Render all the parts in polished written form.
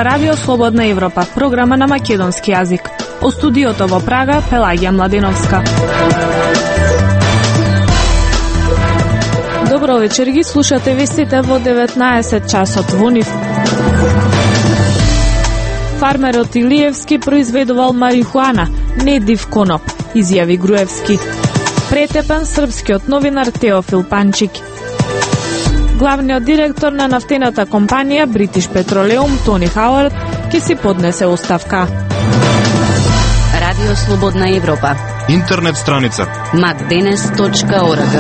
Ова радио Слободна Европа, програма на македонски јазик. О студиото во Прага, Пелагија Младеновска. Добро вечер, ги слушате вестите во 19 часот во нив. Фармерот Илиевски произведувал марихуана, не див коноп, изјави Груевски. Претепен српскиот новинар Теофил Панчик. Главниот директор на нафтената компанија British Petroleum Тони Хауард ќе си поднесе оставка. Радио Слободна Европа. Интернет страница macdenes.org.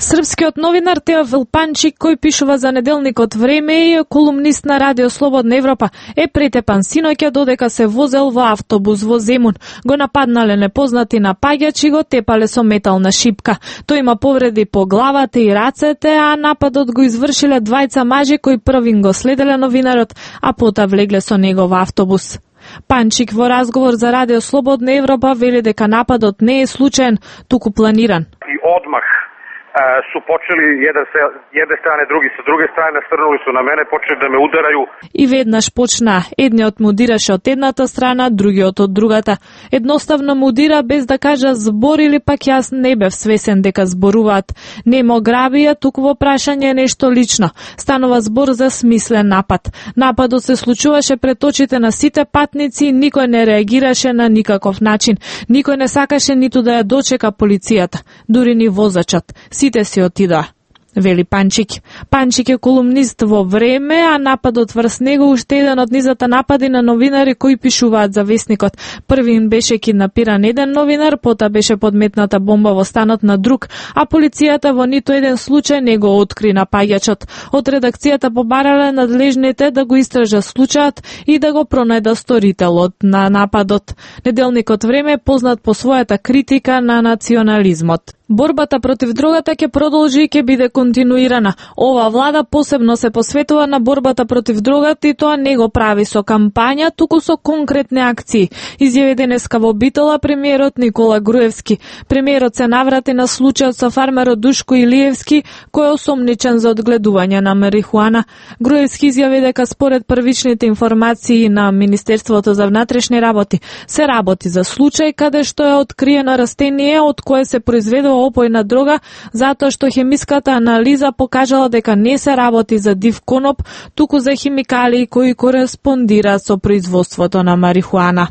Српскиот новинар Теофил Панчик, кој пишува за неделникот Време и е колумнист на Радио Слободна Европа, е претепан синоќа додека се возел во автобус во Земун. Го нападнале непознати напаѓачи и го тепале со метална шипка. Тој има повреди по главата и рацете, а нападот го извршиле двајца мажи кои првин го следеле новинарот, а пота влегле со него во автобус. Панчик во разговор за Радио Слободна Европа вели дека нападот не е случаен, туку планиран. И одмах su počeli jedne strane, drugi sa druge strane, nasrnuli su na mene, počeli da me udaraju. И веднаш почна, едниот му удираше од едната страна, другиот од другата. Едноставно му удира без да кажа збор или пак јас не бев свесен дека зборуваат. Не мо грабија, туку во прашање нешто лично. Станува збор за смислен напад. Нападот се случуваше пред очите на сите патници и никој не реагираше на никаков начин. Никој не сакаше ниту да ја дочека полицијата, дури ни возачот. Сите си отидоа, вели Панчик. Панчик е колумнист во Време, а нападот врз него уште еден од низата напади на новинари кои пишуваат за вестникот. Првин беше киднапиран еден новинар, пота беше подметната бомба во станот на друг, а полицијата во ниту еден случај не го откри напаѓачот. Од редакцијата побарале надлежните да го истража случајот и да го пронајда сторителот на нападот. Неделникот Време е познат по својата критика на национализмот. Борбата против дрогата ќе продолжи и ќе биде континуирана. Ова влада посебно се посветува на борбата против дрогата и тоа не го прави со кампања, туку со конкретни акции. Изјави денеска во Битола премиерот Никола Груевски. Премиерот се наврати на случајот со фармерот Душко Илиевски, кој е осомничен за одгледување на марихуана. Груевски изјави дека според првичните информации на Министерството за внатрешни работи се работи за случај каде што е откриено растение од кое се произведува опојна дрога, затоа што хемиската анализа покажала дека не се работи за див коноп, туку за химикалии кои кореспондираат со производството на марихуана.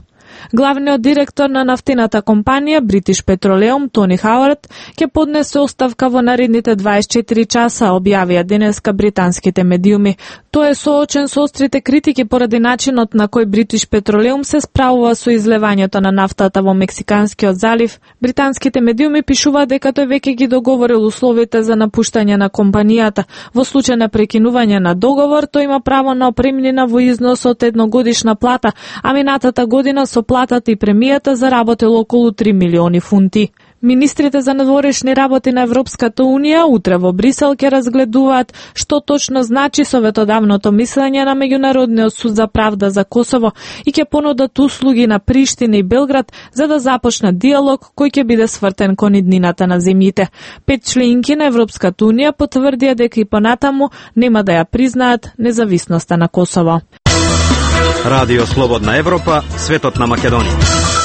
Главниот директор на нафтената компанија British Petroleum Тони Хауард ќе поднесе оставка во наредните 24 часа, објавија денеска британските медиуми. Тој е соочен со острите критики поради начинот на кој British Petroleum се справува со излевањето на нафтата во Мексиканскиот залив. Британските медиуми пишуваат дека тој веќе ги договорил условите за напуштање на компанијата. Во случај на прекинување на договор, тој има право на опремнина во износ од едногодишна плата, а минатата година со платата и премијата заработил околу 3 милиони фунти. Министрите за надворешни работи на Европската Унија утре во Брисел ќе разгледуваат што точно значи советодавното мислење на Меѓународниот суд за правда за Косово и ќе понудат услуги на Приштина и Белград за да започне диалог кој ќе биде свртен кон иднината на земјите. 5 членки на Европската Унија потврдија дека и понатаму нема да ја признаат независноста на Косово. Радио Слободна Европа, светот на Македонија.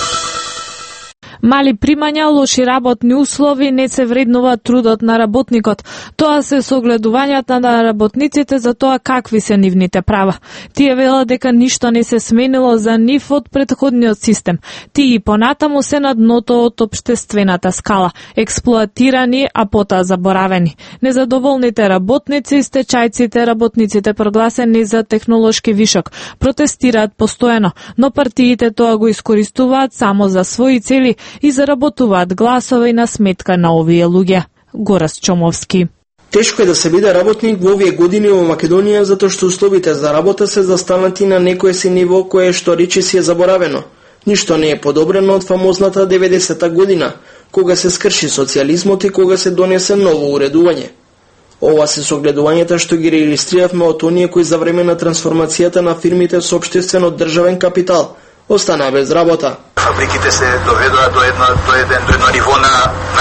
Мали примања, лоши работни услови, не се вреднува трудот на работникот. Тоа се согледувањата на работниците за тоа какви се нивните права. Тие велат дека ништо не се сменило за нив од претходниот систем. Тие и понатаму се на дното од општествената скала, експлоатирани, а потоа заборавени. Незадоволните работници, стечајците, работниците прогласени за технолошки вишок, протестираат постојано, но партиите тоа го искористуваат само за своји цели и заработуваат гласови на сметка на овие луѓе. Горас Чомовски. Тешко е да се биде работник во овие години во Македонија затоа што условите за работа се застанати на некое си ниво кое што рече си е заборавено. Ништо не е подобрено од фамозната 90-та година, кога се скрши социјализмот и кога се донесе ново уредување. Ова се согледувањата што ги реилистриравме од оние кои за време на трансформацијата на фирмите со општествено државен капитал останаа без работа. фабриките се доведоа до едно ниво на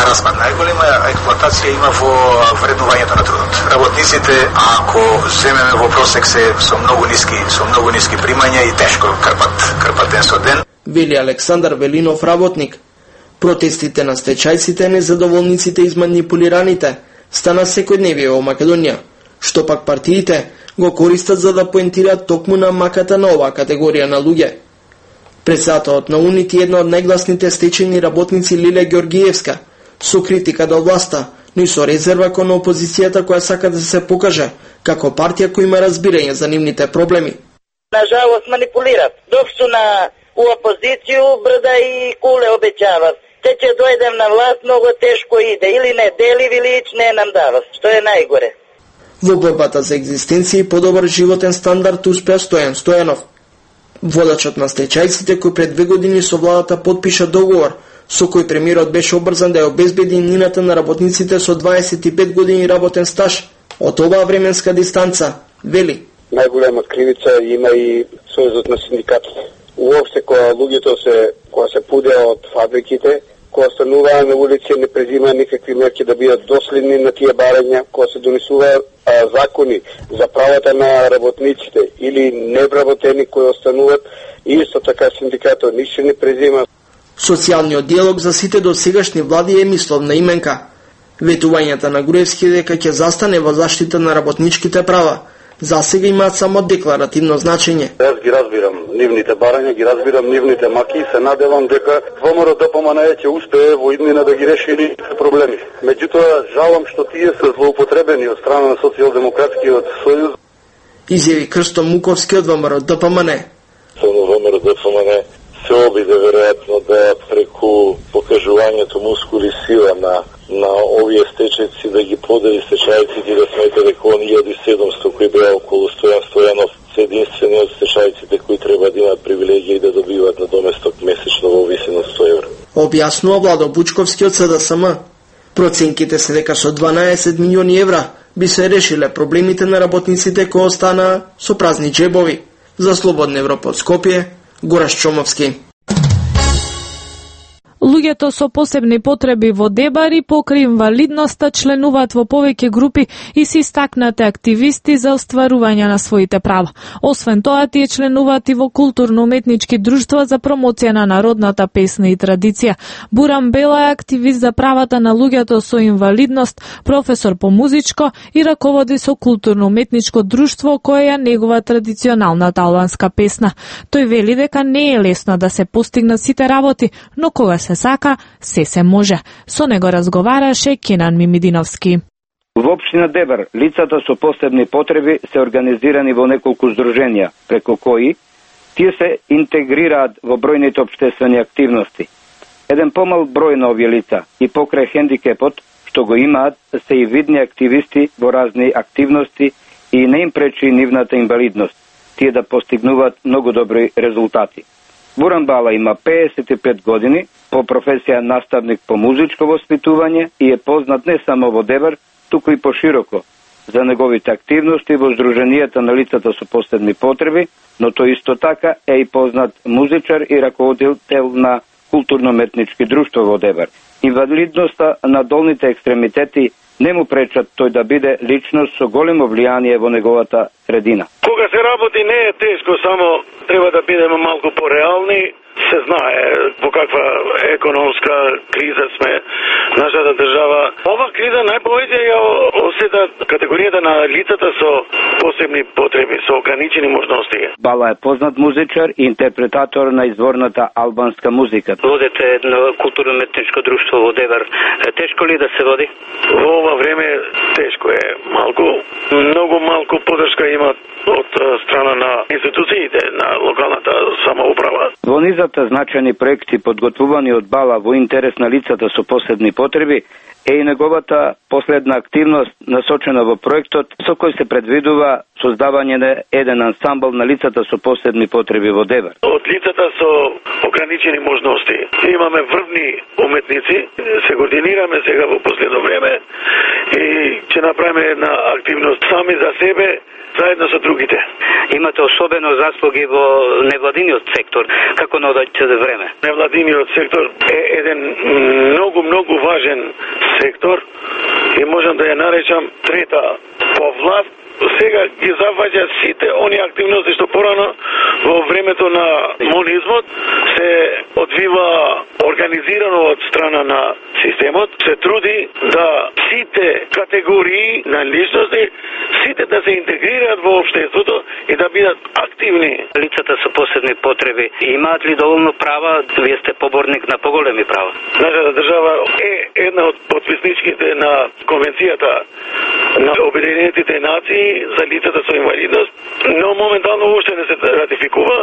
распад. Најголема експлоатација има во вреднувањето на трудот. Работниците, ако земеме во просек, се со многу ниски примања и тешко крпат ден со ден. Вели Александар Велинов, работник. Протестите на стечајците, незадоволниците и манипулираните стана секојдневие во Македонија, што пак партиите го користат за да поентираат токму на маката на оваа категорија на луѓе. Председателот на УНИТ, една од најгласните стечајни работници Лиле Георгиевска, со критика до власта, но и со резерва кон опозицијата која сака да се покаже како партија која има разбирање за нивните проблеми. Нажалост манипулират. Док су у опозицију брда и куле обеќават. Те ќе дојдем на власт, многу тешко иде. Или не дели, Вилич не нам дава, што е најгоре. Во борбата за екзистенција и подобар животен стандард успеа Стојан Стојанов. Водачот на стечајците кој пред 2 години со владата подпиша договор со кој премиерот беше обрзан да ја обезбеди нината на работниците со 25 години работен стаж од оваа временска дистанца, вели. Најголема кривица има и Сојузот на синдикатите. Уопште кога луѓето кога се пудеа од фабриките, кога стануваа на улици, не презимаа никакви мерки да бидат доследни на тие барања, кога се донесуваа закони за правата на работниците или невработени кои остануваат, исто така синдикатот ништо не презима. Социјалниот диалог за сите досегашни влади е мисловна именка. Ветувањата на Груевски дека ќе застане во заштита на работничките права, за сега имаат само декларативно значење. Јас ги разбирам нивните барања, ги разбирам нивните маки и се надевам дека ВМРО ДПМН ќе успее во иднина да ги реши нивните проблеми. Меѓутоа, жалам што тие се злоупотребени од страна на Социјалдемократскиот сојуз. Изјави Крсто Муковски од ВМРО ДПМН. ВМРО ДПМН се обиде веројатно да преку покажувањето мускули сила на овие стечајци да ги подели стечајците и да смета дека оние 1700 кои беа околу Стојан Стојанов се единствени од стечајците кои треба да имаат привилегија и да добиваат на доместок месечно во висина 100 евра. Објаснува Владо Бучковски од СДСМ. Проценките се дека со 12 милиони евра би се решиле проблемите на работниците кои останаа со празни джебови. За Слободна Европа од Скопје, Гораш Чомовски. Луѓето со посебни потреби во Дебари покрај инвалидноста членуваат во повеќе групи и се истакнати активисти за остварување на своите права. Освен тоа, тие членуваат и во културно-уметнички друштва за промоција на народната песна и традиција. Буран Бела е активист за правата на луѓето со инвалидност, професор по музичко и раководи со културно-уметничко друштво кое е негова традиционалната албанска песна. Тој вели дека не е лесно да се постигнат сите работи, но кога се сака, се може. Со него разговараше Кенан Мимидиновски. Во општина Дебар, лицата со посебни потреби се организирани во неколку здруженија, преку кои тие се интегрираат во бројните општествени активности. Еден помал број на овие лица и покрај хендикепот што го имаат се и видни активисти во разни активности и не им пречи нивната инвалидност, тие да постигнуваат многу добри резултати. Буран Бала има 55 години, по професија наставник по музичко воспитување и е познат не само во Дебар, туку и пошироко за неговите активности во здруженијата на лицата со посебни потреби, но тој исто така е и познат музичар и раководител на културно-уметнички друштва во Дебар. Инвалидноста на долните екстремитети не му пречат тој да биде личност со големо влијание во неговата средина. Кога се работи не е тешко, само треба да бидеме малку пореални. Се знае во каква економска криза сме нашата држава. Ова криза најповеќе ја осета категоријата на лицата со посебни потреби, со ограничени можности. Бала е познат музичар и интерпретатор на изворната албанска музика. Водите едно културно-уметничко друштво во Дебар. Тешко ли да се води? Во ова време тешко е малку. Многу малку поддршка има од страна на институциите на локалната самоуправа. Во низата значајни проекти подготвувани од Бала во интерес на лицата со посебни потреби е и неговата последна активност насочена во проектот со кој се предвидува создавање на еден ансамбл на лицата со посебни потреби во Девер. Од лицата со ограничени можности имаме врвни уметници, се координираме сега во последно време и ќе направиме една активност сами за себе, заедно со другите. Имате особено заслуги во невладиниот сектор, како на одеќе време. Невладиниот сектор е еден многу важен сектор и можам да ја наречам трета по власт. Сега ги заваѓа сите они активности што порано во времето на монизмот се одвива организирано од страна на системот, се труди да сите категории на личности, сите да се интегрираат во општеството и да бидат активни. Лицата со посебни потреби имаат ли доволно права? Вие сте поборник на поголеми права. Нашата држава е една од потписничките на Конвенцијата на Обединетите нации за лицата со инвалидност, но моментално уште не се ратификува.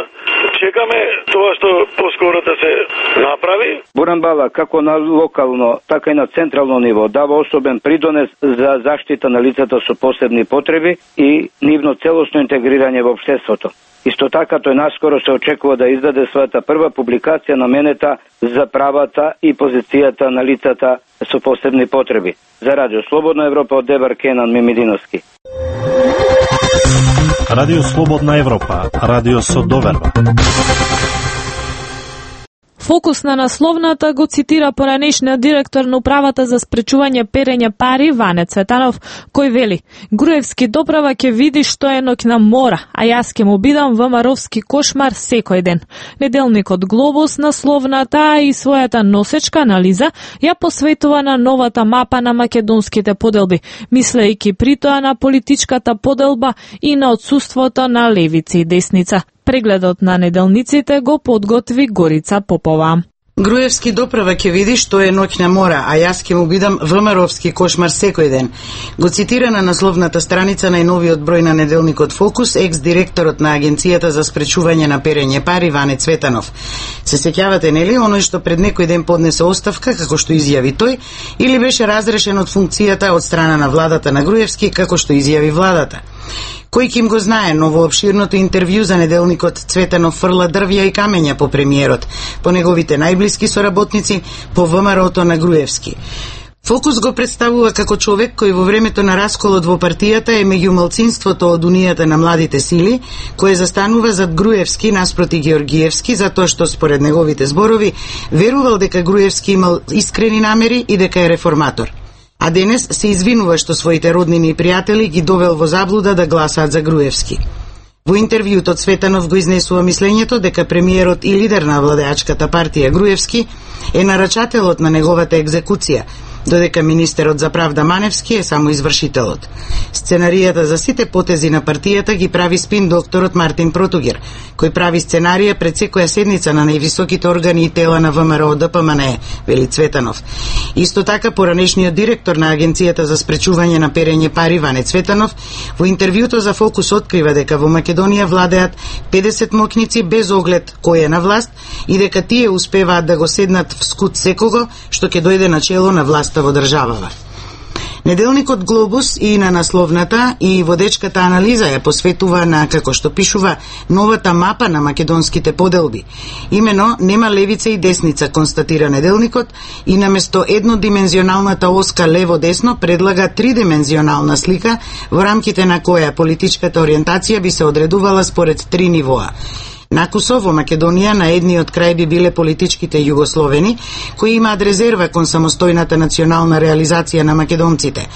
Чекаме тоа што поскоро да се направи. Буран Бала, како на локално, така и на централно ниво, дава особен придонес за заштита на лицата со посебни потреби и нивно целосно интегрирање во општеството. Исто така, тој наскоро се очекува да издаде својата прва публикација наменета за правата и позицијата на лицата со посебни потреби. За Радио Слободна Европа од Девер, Кенан Мимидиновски. Радио Слободна Европа, радио со доверба. Фокус на насловната го цитира поранешниот директор на управата за спречување перење пари Ване Цветанов, кој вели: Груевски доправа ќе види што е ноќна мора, а јас ќе му бидам ВМРО-вски кошмар секој ден. Неделникот Глобус насловната и својата носечка анализа ја посветува на новата мапа на македонските поделби, мислејќи при тоа на политичката поделба и на отсуството на левица и десница. Прегледот на неделниците го подготви Горица Попова. Груевски доправа ќе види што е ноќна мора, а јас ќе му бидам ВМРО-вски кошмар секој ден. Го цитира на насловната страница најновиот број на неделникот Фокус екс-директорот на Агенцијата за спречување на перење пари Ване Цветанов. Се сеќавате, нели, оној што пред некој ден поднесе оставка, како што изјави тој, или беше разрешен од функцијата од страна на владата на Груевски, како што изјави владата? Кој ким го знае, но во обширното интервју за неделникот Цветанов фрла дрвја и камења по премиерот, по неговите најблиски соработници, по ВМРО-то на Груевски. Фокус го представува како човек кој во времето на расколот во партијата е меѓу малцинството од Унијата на младите сили, кој застанува зад Груевски наспроти Георгиевски, затоа што според неговите зборови верувал дека Груевски имал искрени намери и дека е реформатор. А денес се извинува што своите роднини и пријатели ги довел во заблуда да гласаат за Груевски. Во интервјуто Цветанов го изнесува мислењето дека премиерот и лидер на владеачката партија Груевски е нарачателот на неговата екзекуција, додека министерот за правда Маневски е само извршителот. Сценаријата за сите потези на партијата ги прави спин докторот Мартин Протугер, кој прави сценарија пред секоја седница на највисоките органи и тела на ВМРО ДПМНЕ, вели Цветанов. Исто така, поранешниот директор на Агенцијата за спречување на перење пари Ване Цветанов во интервјуто за Фокус открива дека во Македонија владеат 50 мокници без оглед кој е на власт и дека тие успеваат да го седнат в скут секого што ќе дојде на чело на власта во државава. Неделникот Глобус и на насловната и водечката анализа ја посветува на, како што пишува, новата мапа на македонските поделби. Имено, нема левица и десница, констатира неделникот, и наместо еднодимензионалната оска лево-десно предлага тридимензионална слика во рамките на која политичката ориентација би се одредувала според три нивоа. Накусо во Македонија на едниот крај би биле политичките југословени, кои имаат резерва кон самостојната национална реализација на македонците.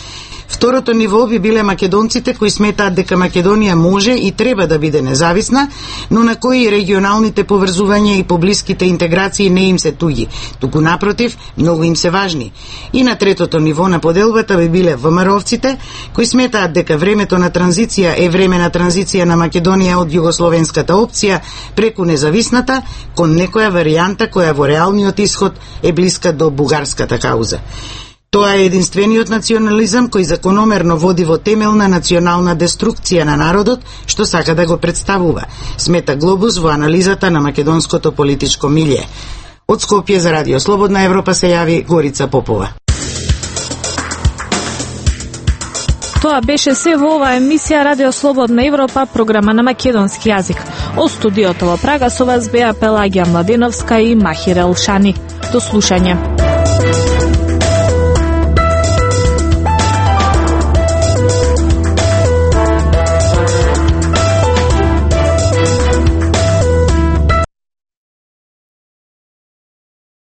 Второто ниво би биле македонците кои сметаат дека Македонија може и треба да биде независна, но на кои регионалните поврзувања и поблиските интеграции не им се туѓи, туку напротив, многу им се важни. И на третото ниво на поделбата би биле ВМРО-вците, кои сметаат дека времето на транзиција е време на транзиција на Македонија од југословенската опција преку независната кон некоја варијанта која во реалниот исход е блиска до бугарската кауза. Тоа е единствениот национализам кој закономерно води во темелна национална деструкција на народот, што сака да го представува, смета Глобус во анализата на македонското политичко милје. Од Скопје за Радио Слободна Европа се јави Горица Попова. Тоа беше се во оваа емисија Радио Слободна Европа, програма на македонски јазик. Од студиото во Прага со вас беа Пелагија Младеновска и Махир Елшани. До слушање.